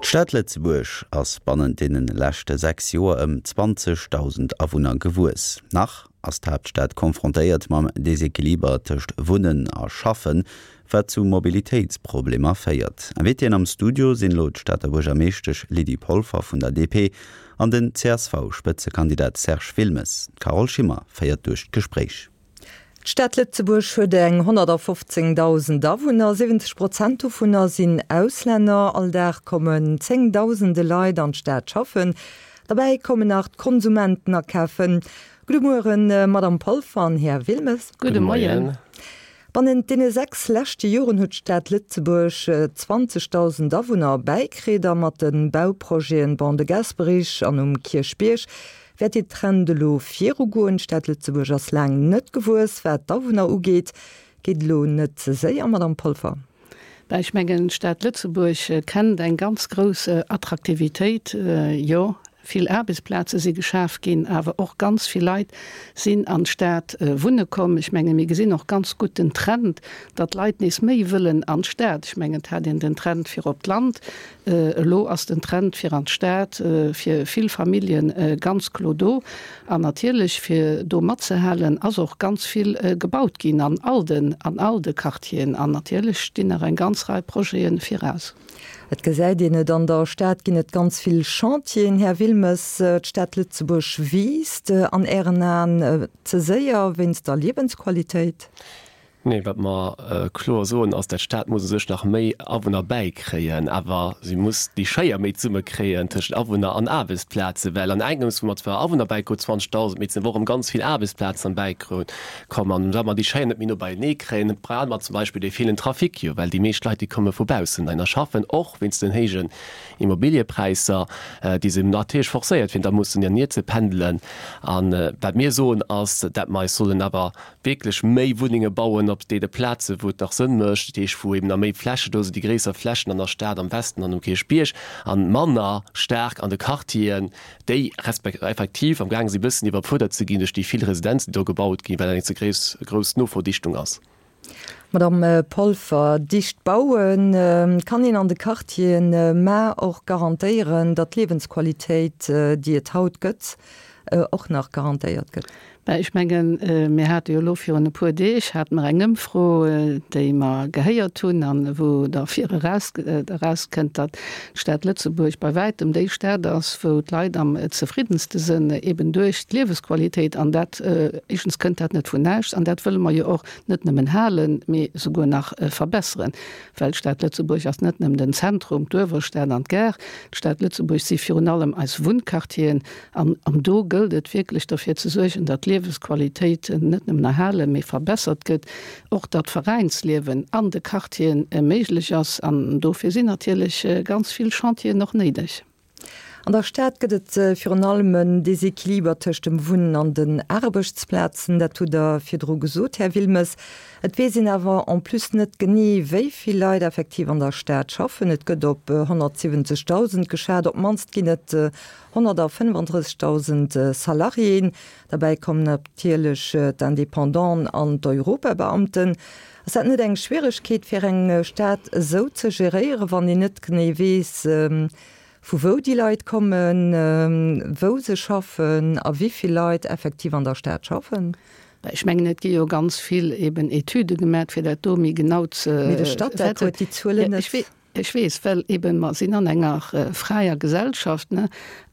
D'Stad Lëtzebuerg ass bannent deene leschte 6 Joer ëm 20.000 Awunner gewuess. Nach ass d'Haaptstad confrontéiert mam Desequiliber tëscht Wunnen a Schaffen, wat zu Mobilitéitsproblemer féiert. Invitéen am Studio sinn elo d'Stater Buergermeeschtesch Lydie Polfer vun der DP an den CSV-Spëtzekandidat Serge Wilmes. D'Carole Schimmer féiert duerch d'Gespréich. D'Stad Lëtzebuerg huet eng 115.000 Awunner, 70 Prozent dovunner sinn Auslänner. All Dag kommen zéngdausende Leit an d'Stad schaffen. Derbäi kommen nach d'Konsumenten akafen. Gudde Mueren, Madamm Polfer an Här Wilmes. Gudde Moien. Bannent deene 6 leschte Joren huet d'Stad Lëtzebuerg 20.000 Awunner bäikritt a mat de Bauprojeten Ban de Gasperich an um Kierchbierg Wäert dee Trend elo virugoen? D'Stad Lëtzebuerg ass laang net gewuess, wat d'Awunner ugeet. Geet elo net ze séier, Madamm Polfer? Ben, ech mengen, d'Stad Lëtzebuerg kennt eng ganz grouss Attraktivitéit. Jo, vill Aarbechtsplaze si geschaf ginn, awer och ganz vill Leit sinn an d'Stad wunne komm. Ech menge mir gesinn och ganz gutt den Trend, datt d'Leit nees méi wëllen an d'Stad. Ech mengen, et hat een den Trend fir op d'Land, Elo ass den Trend fir an d'Stad fir vill Familljen ganz klo do. An natierlech, fir do matzehalen, ass och ganz vill gebaut ginn an all den, an all de Quartieren. An natierlech stinn nach eng ganz Rei Projete viraus. Et gesäit een et, an der Stad ginn et ganz vill Chantieren. Här Wilmes, d'Stad Lëtzebuerg wiisst an Ären Aen ze séier wéinst der Liewensqualitéit? Nee, wat mer kloer soen, ass, dat d'Stad muss u sech nach méi Awunner bäikréien, awer si muss déi Schéier méi zesummekréien tëschent Awunner an Aarbechtsplazen, well an engems, wou mer zwar Awunner bäikrout, 20.000, mee et sinn awer och erëm ganz vill Aarbechtsplazen erbäikomm. An wa mer déi Schéier net méi no beienee kréien, brauche mer zum Beispill dee villen Trafic jo, well déi meescht Leit, déi komme vu baussen heihinner schaffen, och wéinst den héijen Immobiliëpräisser, déi se natierlech forcéiert fir da mussen hiernier ze pendelen. A wat mir soen, ass, dat mer eis sollen awer wierklech méi Wunnenge bauen op deene Plaze wou et nach Sënn mécht, dat heescht wou eben nach méi Fläche do sinn, déi gréisser Flächen an der Stad, am Westen an um Kierchbierg, a manner staark an de Quartieren, déi respek effektiv am gaange si bëssen iwwerfuerdert ze ginn duerch déi vill Residenzen, déi do gebaut ginn, well dat eng ze gréiss grouss Noverdichtung ass. Madamm Polfer, dicht bauen kann een an de Quartieren, mä och garantéieren, datt d'Liewensqualitéit, déi et haut gëtt, och nach garantéiert gëtt. Ben, ech mengen, mir hate jo elo virun e puer Deeg hate mer eng Ëmfro, déi mer gehéiert hunn an wou da vir eraus erauskënnt, datt d'Stad Lëtzebuerg bei wäitem déi Stad ass, wou d'Leit am zefriddenste sënn, eben duerch d'Liewesqualitéit. An dat, éischtens kënnt dat net vun näischt an dat wëlle mer jo och net nëmmen halen, mee souguer nach verbesseren. Well d'Stad Lëtzebuerg ass net nëmmen den Zentrum, d'Uewerstad an d'Gare. D'Stad Lëtzebuerg si virun allem eis Wunnquartieren. An do gëllt et wierklech derfir ze suergen, datt d'Liewesqualitéit net nëmmen erhalen, mee verbessert gëtt, och datt d'Veräinsliewen an de Quartieren méiglech ass. An dofir sinn natierlech ganz vill Chantieren och néideg. An der Stad gëtt et virun allem en Desequiliber tëscht dem Wunnen an den Aarbechtsplazen. Dat hutt Der virdru gesot, Här Wilmes. Et weess een awer en plus net genee, wéi vill Leit effektiv an der Stad schaffen. Et gëtt op 170.000 geschat. Op d'mannst ginn et 135.000 Salariéen. Derbäi kommen natierlech d'Independanten an d'Europabeamten. Ass dat net eng Schwieregkeet fir eng Stad esou ze geréieren, wann een net genee weess, vu wou déi Leit kommen, wou se schaffen a wéi vill Leit effektiv an der Stad schaffen? Ech mengen, et gi jo ganz vill eben Etüde gemat, fir dat do méi genau ze. Mee de Statec huet déi Zuelen net. Ech weess, well eben mer sinn an enger fräier Gesellschaft, ne,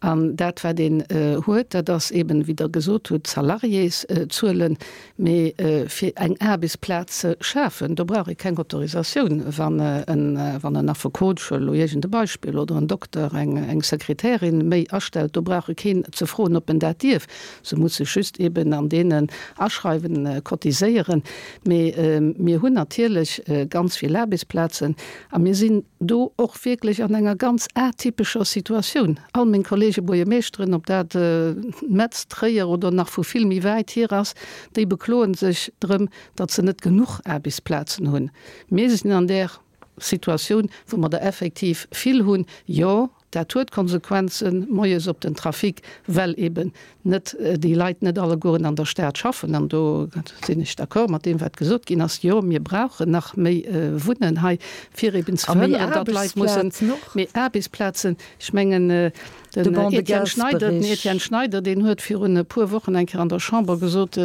an dat wat een huet, dat ass eben, wéi Der gesot hutt, d'Salariészuelen. Mee fir eng Aarbechtsplaz ze schafen, do brauch ee keng Autorisatioun. Wann en, wann en Affekot, ech huelen elo iergend e Beispill, oder en Dokter eng, eng Sekretärin méi astellt, do brauch e keen ze froen, ob en dat dierf. Se muss sech just eben an deenen aschreiwen, cotiséieren. Mee mir hunn natierlech ganz vill Aarbechtsplazen a mir sinn do och wierklech an enger ganz atypescher Situatioun. All meng Kollege Buergermeeschteren, ob dat Metz, Tréier oder nach vu vill méi wäit hier ass, déi bekloe sech drëm, datt se net genuch Aarbechtsplazen hunn. Mir sinn an där Situatioun, wou mer der effektiv vill hunn. Jo. Dat huet Konsequenzen moies op den Trafic, well eben net déi Leit net allegueren an der Stad schaffen. An do sinn ech d'accord mat deem, wat gesot ginn ass, Jo, mir brauchen nach méi Wunnen hei, fir eben ze verhënneren, datt Leit mussen. Méi Aarbechtsplazen. Ech mengen, den Etienne Schneider, den Etienne Schneider, deen huet virun e puer Wochen eng Kéier an der Chamber gesot,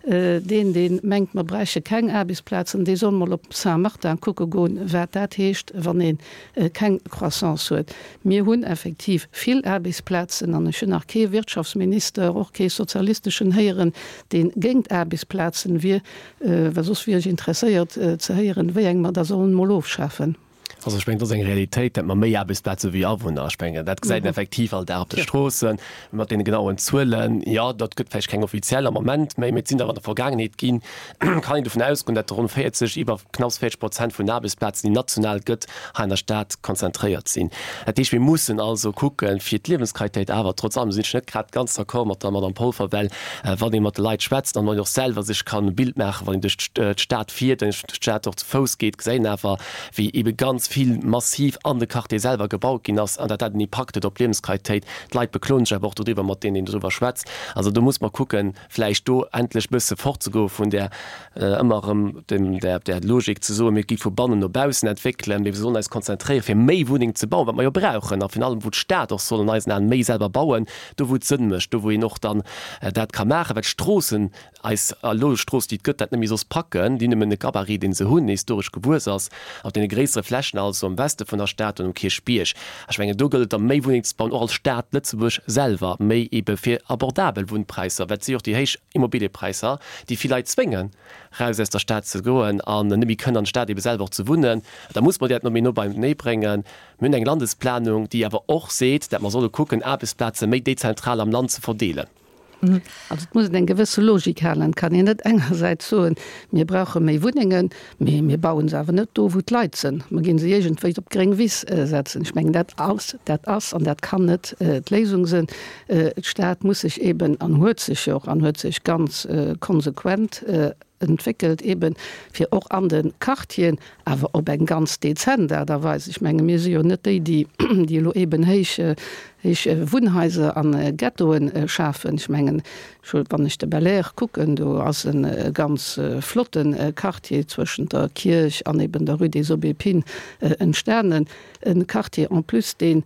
Deen, dee mengt, mer bräiche keng Aarbechtsplazen, dee soll mol op Saint-Martin kucke goen, wat dat heescht, wann ee keng Croissance huet. Mir hunn effektiv vill Aarbechtsplazen an ech hunn nach kee Wirtschaftsminister, och kee sozialisteschen héieren, dee géint Aarbechtsplazen wier, well soss wier ech interesséiert ze héieren, wéi eng mer da sollen mol ofschafen. Also ech mengen, dat ass eng Realitéit, datt mer méi Aarbechtsplaze hu wéi Awunner. Ech mengen, dat gesäit een effektiv all Dag op de Stroossen mat deene genauen Zuelen. Jo, dat gëtt vläicht keng offiziell am Moment méi, mee et sinn der an der Vergaangenheet ginn. Kann een dovun ausgoen, datt ronn 40, iwwer knapps 40 Prozent vun den Aarbechtsplazen, déi national gëtt, hei an der Stad konzentréiert sinn. Dat heescht, mir mussen also kucken, fir d'Liewensqualitéit awer trotz allem, do sinn ech net grad ganz d'accord mat der Madame Polfer, well wann ee mat de Leit schwätzt an wann een och selwer sech kann e Bild maachen, wann een duerch d'Stad fiert, wann een duerch d'Stad och ze Fouss geet, gesäit een awer, wéi ebe ganz vill massiv an de Quartier selwer gebaut ginn ass an dat dat en Impakt huet op d'Liewensqualitéit. D'Leit bekloen sech awer och dodriwwer, mat deenen een dodriwwer schwätzt. Also do muss mer kucken, vläicht do endlech bësse fortzegoe vun där ëmmer erëm dem där där Logik ze soen, mir gi vu bannen no baussen entwéckelen, mee mir sollen eis konzentréieren, fir méi Wunneng ze bauen, wat mer jo brauchen a virun allem wou d'Stad och soll an eisen Aen méi selwer bauen, do wou et Sënn mécht, do wou een och dann dat ka maachen, well d'Stroossen Eis elo Strooss, déi et gëtt, dat net méi soss packen, déi nëmmen e Gabarit, dee se hunn, historesch gewuess ass, op deene gréissere Flächen, also am Weste vun der Stad an um Kierchbierg. Ech mengen, do gëllt et da méi Wunneng ze bauen, och als Stad Lëtzebuerg selwer, méi ebe fir abordabel Wunnpräisser, well et si jo och déi héich Immobiliëpräisser, déi vill Leit zwéngen, raus aus der Stad ze goen an net méi kënnen an der Stad ebe selwer och ze wunnen. Da muss mer déi dat no méi no beienee bréngen. Mir hunn eng Landesplanung, déi awer och seet, dat mer solle kucken, Aarbechtsplaze méi dezentral am Land ze verdeelen. Also et muss een eng gewësse Logik halen. Et kann een net engersäits soen, mir brauche méi Wunnengen, mee mir baue se awer net do, wou d'Leit sinn. Mer ginn se iergendwéi op d'gréng Wiss setzen. Ech mengen, dat ass, dat ass an dat kann net d'Léisung sinn. D'Stad muss sech eeben an huet sech jo och an huet sech ganz konsequent entwéckelt, eeben fir och an de Quartieren, awer op eng ganz dezent Aart a Weis. Ech menge mir si jo net déi, déi déi elo eeben héich héich Wunnhaiser a Ghettoe schafen. Ech mengen, wann ech de Belair kucken, do ass e ganz flotte Quartier zwëschent der Kierch an eeben der Rue des Aubépines entstanen, e Quartier en plus, deen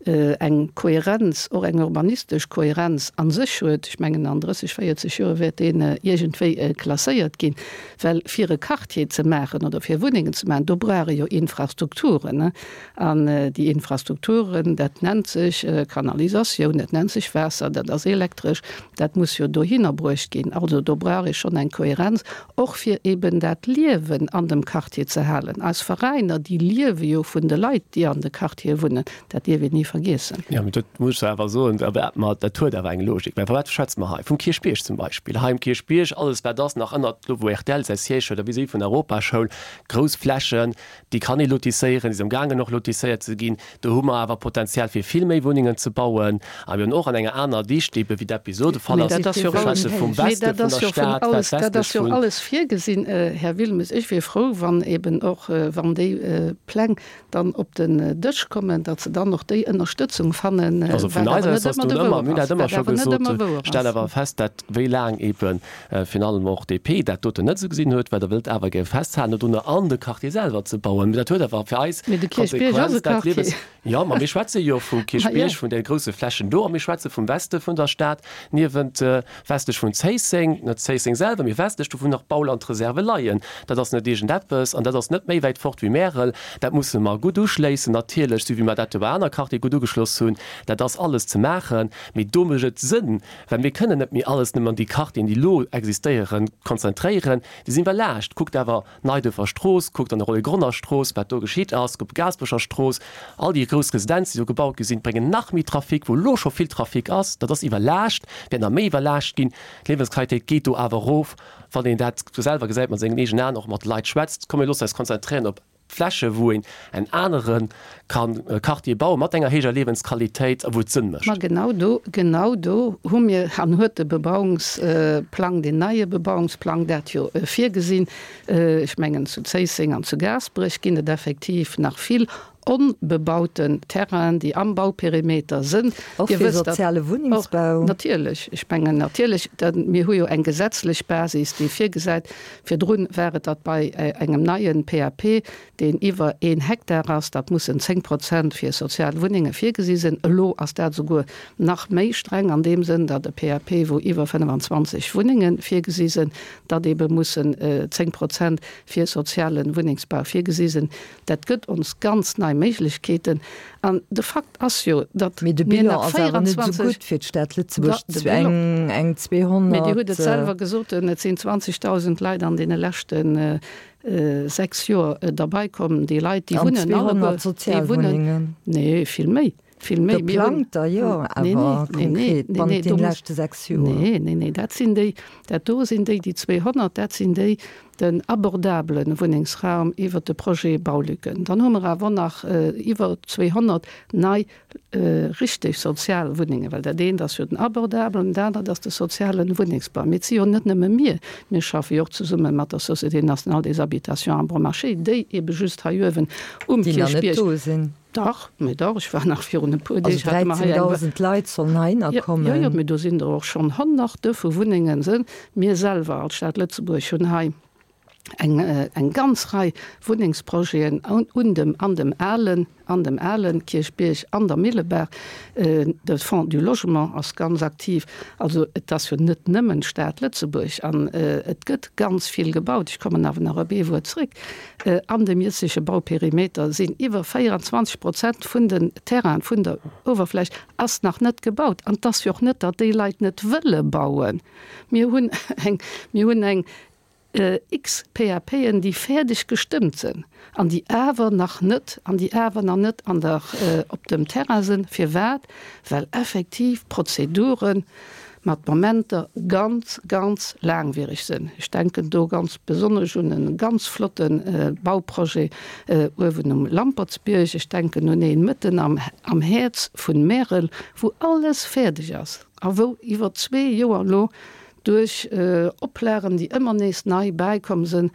eng Kohärenz, och eng urbanistesch Kohärenz a sech huet. Ech mengen, an 30, 40 Joer wäert deen iergendwéi klasséiert ginn. Well fir e Quartier ze maachen oder fir Wunnengen ze maachen, do brauch ee jo Infrastrukturen. An déi Infrastrukturen, dat nennt sech Kanalisatioun, dat nennt sech Waasser, dat ass Elektresch, dat muss jo dohinner bruecht ginn. Also do brauch ee schonn eng Kohärenz, och fir eben dat Liewen an dem Quartier ze halen. Eis Veräiner, déi liewe jo vun de Leit, déi an de Quartiere wunnen. Dat dierf een ni vergiessen. Jo, mee dat muss ech awer soen, dat huet awer eng Logik. Well vu wat schwätze mer hei? Vum Kierchbierg zum Beispill. Hei um Kierchbierg, alles wat ass nach ënnert, do wou rtl säi Siège huet a vis-à-vis vun der Europaschoul, grouss Flächen, déi kann ee lotisséieren, déi si amgaangen och lotisséiert ze ginn. Do hu mer awer Potenzial fir vill méi Wunnengen ze bauen. A mir hunn och an enger aner Dicht, ebe wéi dat bis elo de Fall ass, Mee dat ass jo ech schwätze vum mee Weste dat vun ass der jo vun Stad, wat alles, dat westlech ass jo vun. alles virgesinn, Här Wilmes. Ech wier frou, wann eben och, wann déi Pläng dann op den Dësch kommen, datt se dann och déi Ënnerstëtzung fannen, Also vun wat awer eiser net Säit ass ëmmer do de ëmmer, Wouer mir hunn ass, dat ëmmer wat scho awer net gesot, ëmmer wouer stellen ass. awer fest, dat wéi laang ebe virun allem och DP dat doten net esou gesinn huet, well Der wëllt awer gär festhalen dodrunner an de Quartier selwer ze bauen. Mee dat huet awer fir eis Mee de Kierchbierg ass d'Konsequenz, e dat Quartier. Liewes. Jo, ma mir schwätze jo vum Ma jo. Kierchbierg, vun de grousse Flächen do a mir schwätze vum Weste vun der Stad, niewent westlech vun Zéisseng, net Zéisseng selwer, mee westlech do wou nach Baulandreserve leien. Dat ass net iergendeppes an dat ass net méi wäit fort wéi Märel. Dat musse mer gutt uschléissen natierlech, esou wéi mer dat jo bei aner Quartiere gutt ugeschloss hunn. Dat ass alles ze maachen, mee do mécht et Sënn, well mir kënnen net méi alles nëmmen an déi Quartieren, déi elo existéieren, konzentréieren. Déi sinn iwwerlaascht. Kuckt awer Neiduerfer Strooss, kuckt an der Rollégronner Strooss, wat do geschitt ass, op Gaasperecher Strooss, all déi grouss Residenzen, déi do gebaut gi sinn, bréngen nach méi Trafic, wou elo scho vill Trafic ass. Dat ass iwwerlaascht, wäert nach méi iwwerlaascht ginn. D'Liewensqualitéit geet do awer erof, wann een dat selwer gesäit mat sengen eegenen Aen, och mat de Leit schwätzt. Komm mir loossen eis konzentréieren op Fläche wou een en anere kann Quartier bauen, mat enger héijer Liewensqualitéit a wou et Sënn mécht. Ma genau do, genau do hu mir an huet de Bebauungsplang, deen neie Bebauungsplang dat jo virgesinn. Ech mengen zu Zéisseng an zu Gaasperech ginn et effektiv nach vill. onbebauten Terrainen, déi am Bauperimeter sënn. Och fir soziale Wunnengsbau? Natierlech. Ech mengen natierlech, mir hu jo eng gesetzlech Basis, déi virgesäit, virdrun war et, datt bei engem neien PAP, deen iwwer een Hektar ass, datt mussen 10 Prozent fir sozial Wunnenge virgesi sinn. Elo ass dat esouguer nach méi streng an deem Sënn, datt e PAP, wou iwwer 25 Wunnenge virgesi sinn, datt eebe mussen 10 Prozent fir soziale Wunnengsbau virgesi sinn. Dat gëtt ons ganz nei Méiglechkeeten. An de Fakt ass jo, datt Mee de mir Bilan nach ass awer net esou 24. gutt fir d'Stad Lëtzebuerg, De Bilan. eng, eng 200. Mee Dir hutt et selwer gesot, et sinn 20.000 Leit an deene leschte 6 Joer derbei komm. Déi Leit, déi An wunnen alleguer, 200 déi wunnen, Sozialwunnengen. nee, vill méi, vill méi. Mir hunn, Geplangter, jo, nee, awer nee, nee, nee, konkret nee, bannent nee, do deene muss, leschte 6 Joer. nee, nee, nee, dat sinn déi, dat do sinn déi, déi 200, dat sinn déi, den abordabele Wunnengsraum iwwert de Projet Baulücken. Dann hu mer awer nach iwwer 200 nei richteg sozial Wunnengen, well dat eent ass jo den abordabelen, dat anert ass de soziale Wunnengsbau. Mee et si jo net nëmme mir, mir schaffe jo och zesumme mat der Société nationale des habitations à bon marché, déi ebe just hei uewen um Déi nach net Kierchbierg, do sinn. Dach, mee dach, ech war nach virun e puer Also Deeg, hate mer hei eng. 13.000 Leit sollen heihinner Jo, kommen. jo, mee do sinn der och schonn Honnerte vu Wunnengen. Mir selwer als Stad Lëtzebuerg hunn hei eng, eng ganz Rei Wunnengsprojeten un dem, an dem alen, an dem alen Kierchbierg, an der Millebaach. De Fonds du Logement ass ganz aktiv. Also et ass jo net nëmmen d'Stad Lëtzebuerg an et gëtt ganz vill gebaut. Ech kommen awer nach op ee Wuert zréck. An dem jëtzege Bauperimeter sinn iwwer 24 Prozent vun den Terrainen, vun der Uewerfläch ass nach net gebaut. An et ass jo och net, datt déi Leit net wëlle bauen. Mir hunn eng, mir hunn eng X-PAPen, déi fäerdeg gestëmmt sinn an déi awer nach net, an déi awer nach net an der, op dem Terrain sinn. Firwat? Well effektiv d'Prozedure mat Momenter ganz, ganz laangwiereg sinn. Ech denken do ganz besonnesch un e ganz flotte Bauprojet uewen um Lampertsbierg. Ech denken un een mëtten am, am Häerz vun Märel, wou alles fäerdeg ass a wou iwwer zwee Joer elo duerch Oplagen, déi ëmmer nees nei bäikomm sinn,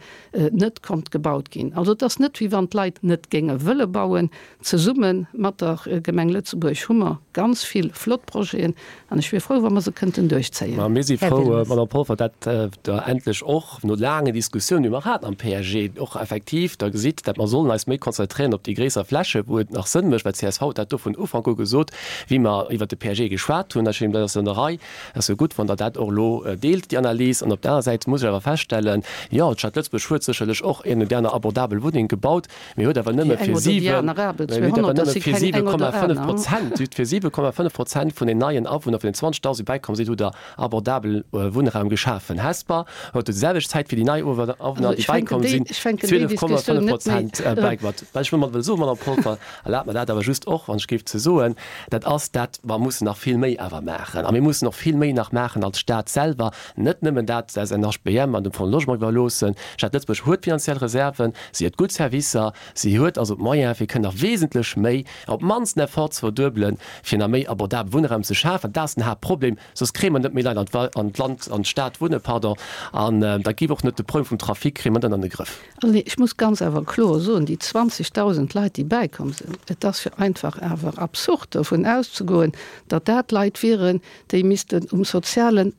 net konnt gebaut ginn. Also et ass net, wéi wann d'Leit net géinge wëlle bauen. Zesumme mat der Gemeng Lëtzebuerg hu mer ganz vill flott Projeten an ech wier frou, wa mer se kënnten duerchzéien. Ma mir si frou, Madame Polfer, dat Der endlech och no laangen Diskussiounen, déi mer haten am PAG, och effektiv da gesitt, dat mer sollen eis méi konzentréieren op déi gréisser Fläche, wou et nach Sënn mécht, well csv huet dat do vun Ufank u gesot, wéi mer iwwert de PAG geschwat hunn. Ech mengen, dat ass an der Rei. Et ass jo gutt, wann Der dat och elo deelt, déi Analys. An op der aner Säit muss ech awer feststellen, jo, d'Stad Lëtzebuerg huet sécherlech och een oder déi aner abordabel Wunneng gebaut, mee huet awer nëmme fir 7,5 Prozent, huet fir 7,5 Prozent vun den neien Awunner, vun den 20.000, déi bäikomm sinn, hutt Der abordabel Wunnraum geschafen. Hesper huet déi selwecht Zäit fir déi nei Awunner, déi bäikomm sinn, 12,5 Prozent bäigebaut. Wat ech domat wëll soen, Madame Polfer, Erlaabt mer dat awer just och, wann ech géif ze soen, dat ass dat, mer mussen nach vill méi awer maachen. A mir mussen och vill méi nach maachen als Stat selwer, net nëmmen dat der SNHBM an dem Fonds Logement iwwerloossen. D'Stad Lëtzebuerg huet finanziell Reserven, si huet gutt Servicer, si huet also d'Moyene fir kënnen nach wesentlech méi, op d'mannst den Effort ze verduebelen, fir nach méi abordabel Wunnraum ze schafen. Dat ass den Haaptproblem, soss kréie mer net méi Leit an d'Land, an d'Stad wunnen, pardon, an da géif och net de Problem vum Trafic kréie mer net an de Grëff. Also ech muss ganz awer kloer soen, déi 20.000 Leit, déi bäikomm sinn, et ass jo einfach awer absurd dovun auszegoen, datt dat Leit wieren, déi missten um soziale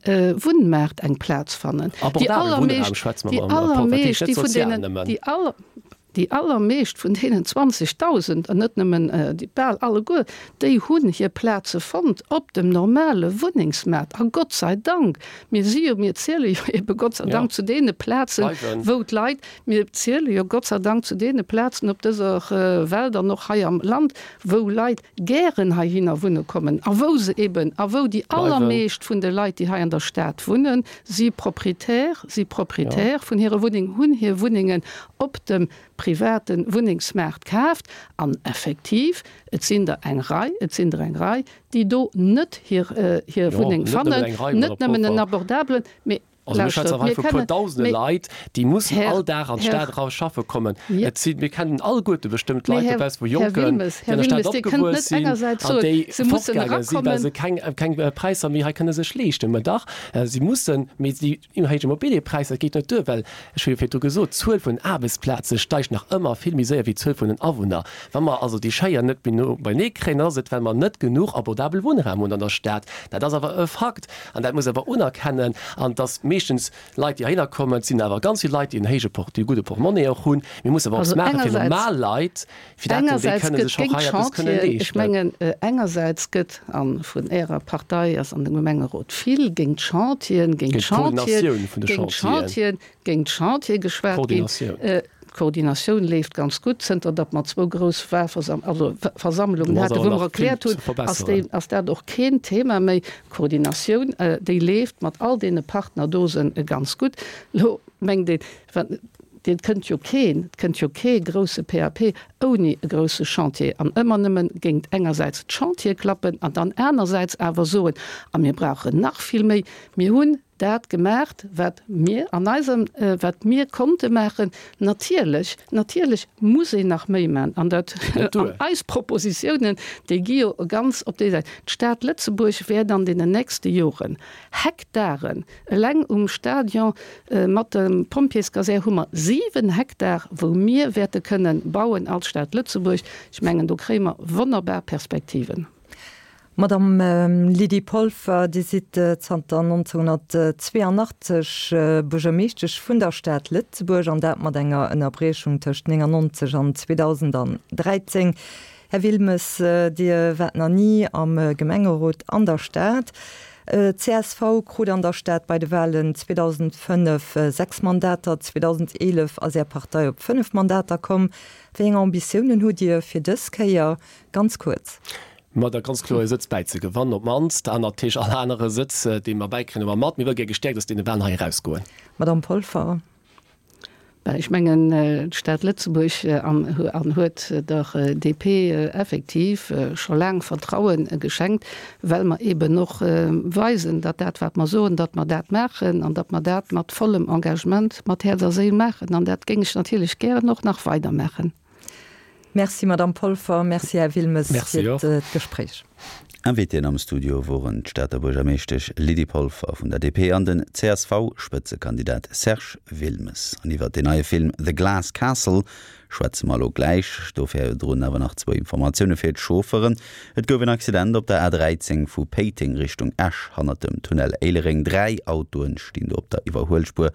Wunnmaart eng Plaz fannen. Déi allermeescht, déi allermeescht, déi vun deenen, déi aller, déi allermeescht vun deenen 20.000, an net nëmmen déi, bal alleguer, déi hunn hir Plaze fonnt op dem normale Wunnengsmaart. A Gott sei Dank, Mir si jo, mir ziele jo ebe Gott sei Dank zu deene Plazen, wou d'Leit, mir ziele jo Gott sei Dank zu deene Plazen op dëser Welt an och hei am Land, wou Leit gären heihinner wunne kommen a wou se eben, a wou déi allermeescht vun de Leit, déi hei an der Stad wunnen, si Proprietär, si Proprietär vun hire Wunneng, hunn hir Wunnengen op dem private Wunnengsmaart kaaft. An effektiv, et sinn der eng Rei, et sinn der eng Rei, déi do net hir hir Wunneng fannen, net nëmmen en abordabelen, mee. Also mir schwätzen Lauschtert, hei mir vu puer kennen, dausende mee Leit, déi mussen Här, all Dag an Här, d'Stad era schaffe kommen. jo. Et sinn, mir kennen alleguerte bestëmmt Mee Leit Här, dobausse vu Här Jonken, Wilmes, déi Här an der Stad Wilmes, Dir kënnt opgewuess net sinn engersäits an soen, déi se mussen fortgaange sinn, well erakommen. se keng, keng Präisser méi hei kënne sech leeschten. Mä dach, si mussen, mee déi héich Immobiliëpräisser, dat geet net duer, well, ech hu jo virdru gesot, d'Zuel vun den Aarbechtsplaze steigt nach ëmmer vill méi séier wéi d'Zuel vun den Awunner. Wa mer also déi Schéier net méi no beinee kréien, dann ass et, well mer net genuch abordabel Wunnraum hunn an der Stad. Dat ass awer e Fakt. An dat muss awer unerkennen. An dass meeschtens Leit, déi heihinner kommen, et sinn awer ganz vill Leit, déi en héije Port, déi e gudde Portmonnaie och hunn. Mir mussen awer eppes Also maache fir engersäits, normal Leit, fir dat déi engersäits kënne gëtt sech och géint hei eppes kënnen d'Chantieren, ech leeschten. mengen, engersäits gëtt, a vun Ärer Partei ass an dem Gemengerot vill géint d'Chantieren, géint Géint d'Chantieren, d'Koordinatioun vun de géint Chantieren. d'Chantieren, géint d'Chantiere geschwat ginn. Koordinatioun. D'Koordinatioun leeft ganz gutt, zënter datt mer zwou grouss Wahlversam-, also Versammlungen Do ass haten, awer wou mer nach vill erkläert ze hunn, ass déi, verbesseren. ass dat och keen Thema méi. D'Koordinatioun, déi leeft mat all deene Partnerdosen ganz gutt. Elo mengt een, wa, et kënnt jo keen, et kënnt jo kee grousse PAP ouni e grousse Chantier an ëmmer nëmmen géingt engersäits d'Chantiere klappen an dann anersäits awer soen, a mir brauchen nach vill méi. Mir hunn dat gemaacht, wat mir an eisem, wat mir konnte maachen. Natierlech, natierlech muss een nach méi maachen. An dat, an eis Propositiounen, déi gi jo ganz op déi Säit. D'Stad Lëtzebuerg wäert an deenen nächste Joren Hektaren, eleng um Stadion mat der Pompjeeskasär hu mer 7 Hektar, wou mir wäerte kënnen bauen als Stad Lëtzebuerg. Ech mengen, do kréie mer wonnerbar Perspektiven. Madame Lydie Polfer, Dir sidd zanter 1982 Buergermeeschtesch vun der Stad Lëtzebuerg, an dat mat enger Ënnerbriechung tëscht 99 an 2013. Här Wilmes, Dir waart nach ni am Gemengerot an der Stad. Csv krut an der Stad bei de Walen 2005 6 Mandater, 2011 ass Är Partei op 5 Mandater komm. Wéi eng Ambitiounen hutt Dir fir dës Kéier? Ganz kuerz. Ma da ganz kloer e Sëtz bäizegewannen, op d'mannst, an natierlech all anere Sëtz, dee mer bäikréien, hu mer mat. Mir wëlle gär gestäerkt aus deene Walen hei erausgoen. Madamm Polfer. Ben, ech mengen, d'Stad Lëtzebuerg an huet der DP effektiv scho laang Vertraue geschenkt, well mer eeben och weisen, datt dat, wat mer soen, datt mer dat maachen an datt mer dat mat vollem Engagement, mat Häerz a Séil maachen. An dat géing ech natierlech gären och nach weidermaachen. Merci Madamm Polfer, merci Här Wilmes Merci fir och. d'Gespréich. Invitéen am Studio woren d'Stater Buergermeeschtesch Lydie Polfer vun der DP an den CSV-Spëtzekandidat Serge Wilmes. An iwwert deen neie Film The Glass Castle schwätze mer elo gläich. Do virdrun awer nach zwou Informatioune fir d'Chaufferen. Et gouf en Accident op der A13 vu Péiteng Richtung Esch hannert dem Tunnel Éilereng. 3 Autoen stinn do op der Iwwerhuelspuer.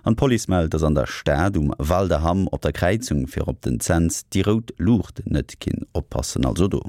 An d'Police mellt, dass an der Stad um Val de Hamm op der Kräizung fir op den Cents déi rout Luucht net ginn. Oppassen also do.